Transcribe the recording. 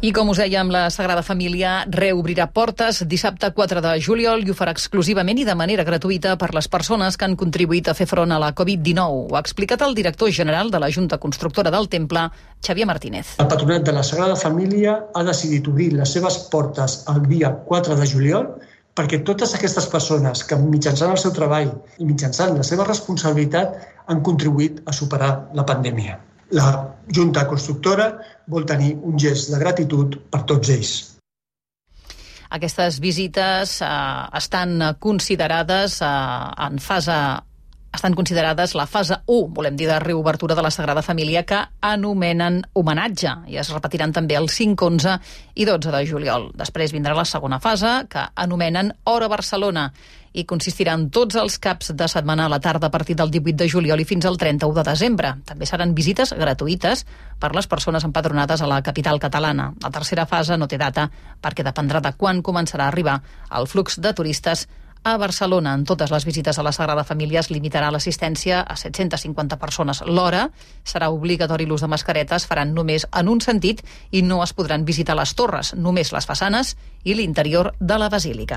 I com us dèiem, la Sagrada Família reobrirà portes dissabte 4 de juliol i ho farà exclusivament i de manera gratuïta per les persones que han contribuït a fer front a la Covid-19. Ho ha explicat el director general de la Junta Constructora del Temple, Xavier Martínez. El Patronat de la Sagrada Família ha decidit obrir les seves portes el dia 4 de juliol perquè totes aquestes persones que mitjançant el seu treball i mitjançant la seva responsabilitat han contribuït a superar la pandèmia. La Junta Constructora vol tenir un gest de gratitud per tots ells. Aquestes visites estan considerades la fase 1, volem dir, de reobertura de la Sagrada Família, que anomenen homenatge, i es repetiran també el 5, 11 i 12 de juliol. Després vindrà la segona fase, que anomenen Hora Barcelona, i consistirà en tots els caps de setmana a la tarda a partir del 18 de juliol i fins al 31 de desembre. També seran visites gratuïtes per les persones empadronades a la capital catalana. La tercera fase no té data perquè dependrà de quan començarà a arribar el flux de turistes a Barcelona. En totes les visites a la Sagrada Família es limitarà l'assistència a 750 persones l'hora. Serà obligatori l'ús de mascaretes, faran només en un sentit i no es podran visitar les torres, només les façanes i l'interior de la basílica.